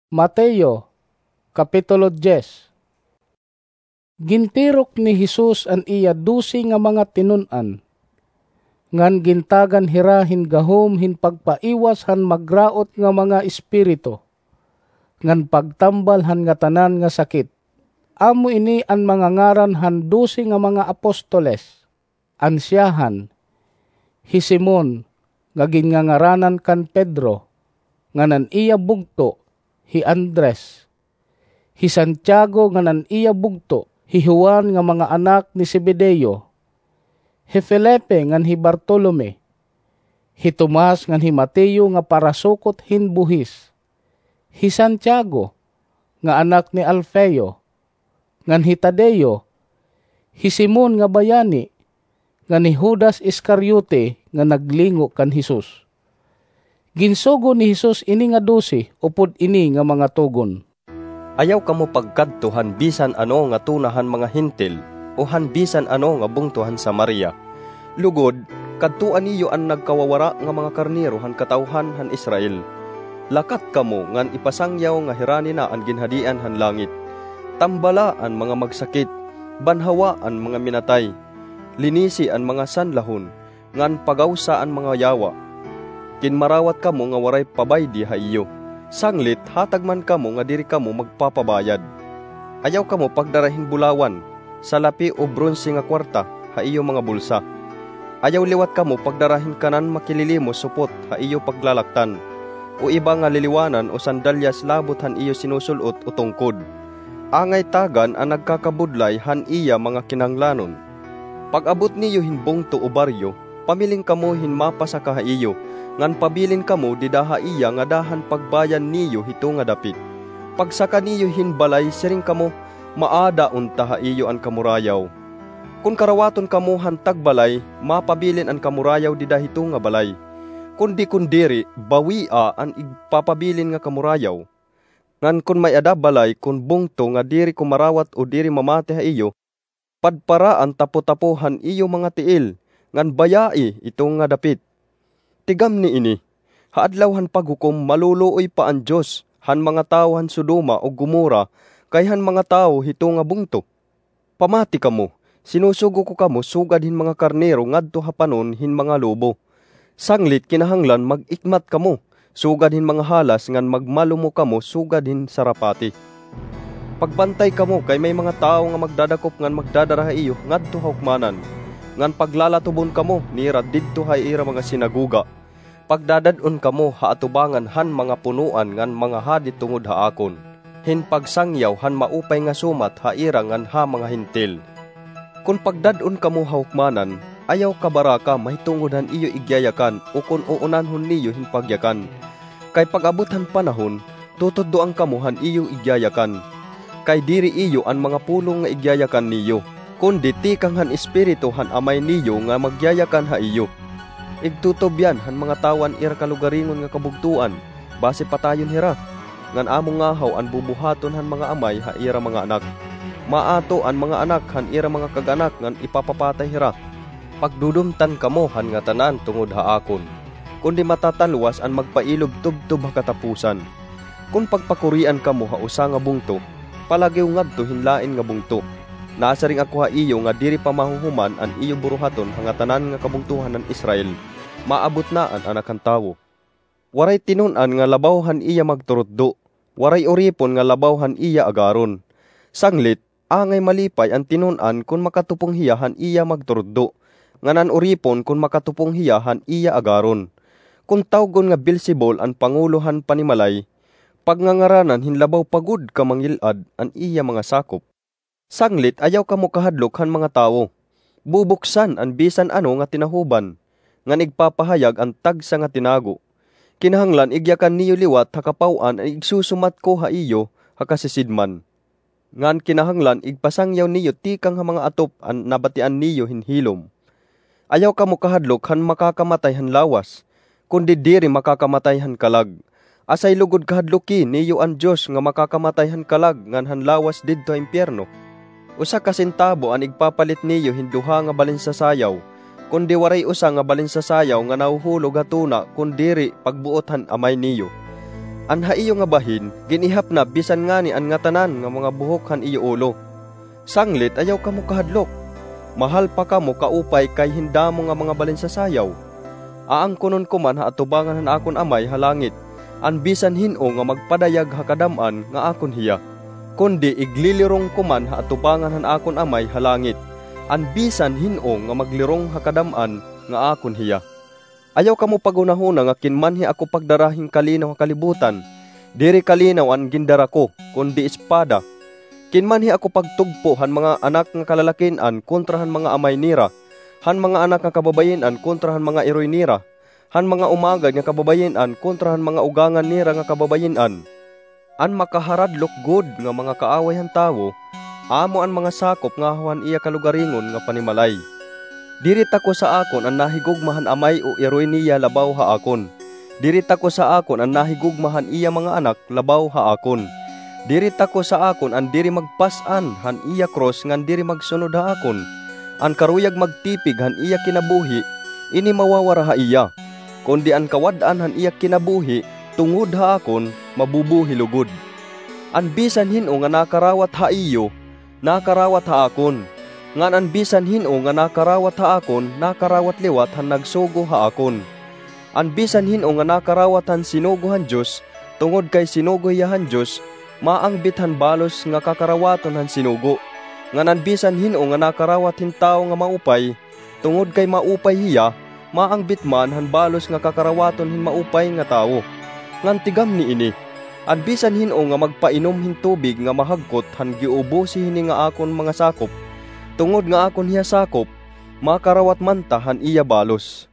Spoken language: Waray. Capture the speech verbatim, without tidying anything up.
Mateo, Kapitulo diyes. Gintirok ni Jesus an iya dose nga mga tinun-an, ngan gintagan hira hin gahom hin pagpaiwas han magraot nga mga espiritu, ngan pagtambal han ngatanan nga sakit. Amo ini an mga ngaran han dose nga mga apostoles: an siyahan, hi Simon, nga ginngangaranan kan Pedro, ngan an iya bugto, hi Andres, hi Santiago, ngan an iya bugto, hi Juan, nga mga anak ni Zebedeo, hi Felipe ngan hi Bartolome, hi Tomas ngan hi Mateo nga parasukot hin buhis, hi Santiago, nga anak ni Alfeo, ngan hi Tadeo, hi Simon nga bayani, ngan hi Judas Iscariote nga naglingo kan Jesus. Ginsugo ni Jesus ini nga dose upod ini nga mga tugon: Ayaw kamo pagkadto han bisan ano nga tuna han mga Hentil o han bisan ano nga bungto han Samaria. Lugod, kadtoa niyo an nagkawawara nga mga karnero han katawhan han Israel. Lakat kamo ngan ipasangyaw nga hirani na an Ginhadian han langit. Tambala an mga magsakit, banhawa an mga minatay, linisi an mga sanlahon, ngan pagawsa an mga yawa. Kinmarawat kamo nga waray pabaydi ha iyo. Sanglit, hatag man kamo nga diri kamo magpapabayad. Ayaw kamo pagdara hin bulawan, salapi o bronse nga kuwarta ha iyo mga bulsa. Ayaw liwat kamo pagdara hin kanan makililimos supot ha iyo paglalaktan, o iba nga liliwanan o sandalyas labot han iyo sinusul-ot o tungkod. Angay tagan an nagkakabudlay han iya mga kinahanglanon. Pag-abot niyo hin bungto o baryo, pamiling kamo hin mapasaka ha iyo, ngan pabilin kamo dida ha iya ngada han pagbayan niyo hito nga dapit. Pagsaka niyo hin balay, siring kamo, "Maada unta ha iyo an kamurayaw." Kon karawaton kamo han tagbalay, mapabilin an kamurayaw dida hito nga balay. Kundi kon diri, bawia an igpapabilin nga kamurayaw. Ngan kon may-ada balay kon bungto nga diri kumarawat o diri mamati ha iyo, padpara an tapotapo han iyo mga tiil, ngan bayai ito nga dapit. Tigamni ini, ha Adlaw han Paghukom maluluoy pa an Dios han mga tawo han Sodoma ug Gomorra kay han mga tawo hito nga bungto. Pamati kamo, sinusugo ko kamo sugad hin mga karnero ngadto ha panon hin mga lobo. Sanglit kinahanglan mag-ikmat kamo sugad hin mga halas ngan magmalumo kamo sugad hin sarapati. Pagbantay kamo kay may mga tawo nga magdadakop ngan magdadara ha iyo ngadto ha hukmanan, ngan paglalatubon kamo nira didto ha ira mga sinagoga. Pagdadad-on kamo ha atubangan han mga punoan ngan mga hadi tungod ha akon, hin pagsangyaw han maupay nga sumat ha ira ngan ha mga Hentil. Kon pagdad-on kamo ha hukmanan, ayaw kabaraka mahitungod han iyo igyayakan o kon uunanhon niyo hin pagyakan. Kay pag-abot han panahon, tutudloan kamo han iyo igyayakan. Kay diri iyo an mga pulong nga igyayakan niyo, kundi tikang han Espiritu han Amay niyo nga magyayakan ha iyo. Igtutubyan han mga tawo an ira kalugaringon nga kabugtoan, basi patayon hira, ngan amo ngahaw an bubuhaton han mga amay ha ira mga anak. Maato an mga anak han ira mga kag-anak ngan ipapapatay hira. Pagdudumtan kamo han ngatanan tungod ha akon, kundi matatalwas an magpailob tubtob ha katapusan. Kon pagpakurian kamo ha usa nga bungto, palagiw ngadto hin lain nga bungto. Nasiring ako ha iyo nga diri pa mahuhuman an iyo buruhaton ha ngatanan nga kabungtohan han Israel, maabot na an Anak han Tawo. Waray tinun-an nga labaw han iya magturutdo, waray uripon nga labaw han iya agaron. Sanglit, angay malipay an tinun-an kon makatupong hiya han iya magturutdo, ngan an uripon kon makatupong hiya han iya agaron. Kon tawgon nga Beelzebul an pangulo han panimalay, pagngangaranan hin labaw pa gud ka mangil-ad an iya mga sakop. Sanglit, ayaw kamo kahadlok han mga tawo. Bubuksan an bisan ano nga tinahuban, ngan igpapahayag an tagsa nga tinago. Kinahanglan igyakan niyo liwat ha kapaw-an an igsusumat ko ha iyo ha kasisidman. Ngan kinahanglan igpasangyaw niyo tikang ha mga atop an nabatian niyo hin hilom. Ayaw kamo kahadlok han makakamatay han lawas, kundi diri makakamatay han kalag. Asay lugod kahadloki niyo an Dios nga makakamatay han kalag ngan han lawas didto ha impiyerno. Usa ka sentabo an igpapalit niyo hin duha nga balinsasayaw, kundi waray usa nga balinsasayaw nga nahuhulog ha tuna kon diri pagbuot han Amay niyo. An ha iyo nga bahin, gin-ihap na bisan ngani an ngatanan nga mga buhok han iyo ulo. Sanglit, ayaw kamo kahadlok. Mahal pa kamo kaupay kay hin damo nga mga balinsasayaw. Aangkonon ko man ha atubangan han akon Amay ha langit an bisan hin-o nga magpadayag ha kadam-an nga akon hiya, kundi iglilirong ko man ha atubangan han akon Amay ha langit an bisan hin-o nga maglirong ha kadam-an nga akon hiya. Ayaw kamo paghunahuna nga kinmanhi ako pagdara hin kalinaw ha kalibutan. Diri kalinaw an gindara ko, kundi espada. Kinmanhi ako pagtugpo han mga anak nga kalalakin-an kontra han mga amay nira, han mga anak nga kababayin-an kontra han mga iroy nira, han mga umagad nga kababayin-an kontra han mga ugangan nira nga kababayin-an. An makaharadlok gud nga mga kaaway han tawo, amo an mga sakop ngahaw han iya kalugaringon nga panimalay. Diri tako sa akon an nahigugma han amay o iroy niya labaw ha akon. Diri tako sa akon an nahigugma han iya mga anak labaw ha akon. Diri tako sa akon an diri magpas-an han iya krus ngan diri magsunod ha akon. An karuyag magtipig han iya kinabuhi, ini mawawara ha iya. Kundi an kawad-an han iya kinabuhi tungod ha akon, mabubuhi lugod. An bisan hin-o nga nakarawat ha iyo, nakarawat ha akon. Ngan an bisan hin-o nga nakarawat ha akon, nakarawat liwat han nagsugo ha akon. An bisan hin-o nga nakarawat han sinugo han Dios, tungod kay sinugo hiya han Dios, maangbit han balos nga kakarawaton han sinugo. Ngan an bisan hin-o nga nakarawat hin tawo nga maupay, tungod kay maupay hiya, maangbit man han balos nga kakarawaton hin maupay nga tawo. Ngan tigam niini, an bisan hin-o nga magpainom hin tubig nga mahagkot han giubosi hini nga akon mga sakop, tungod nga akon hiya sakop, makarawat man ta han iya balos.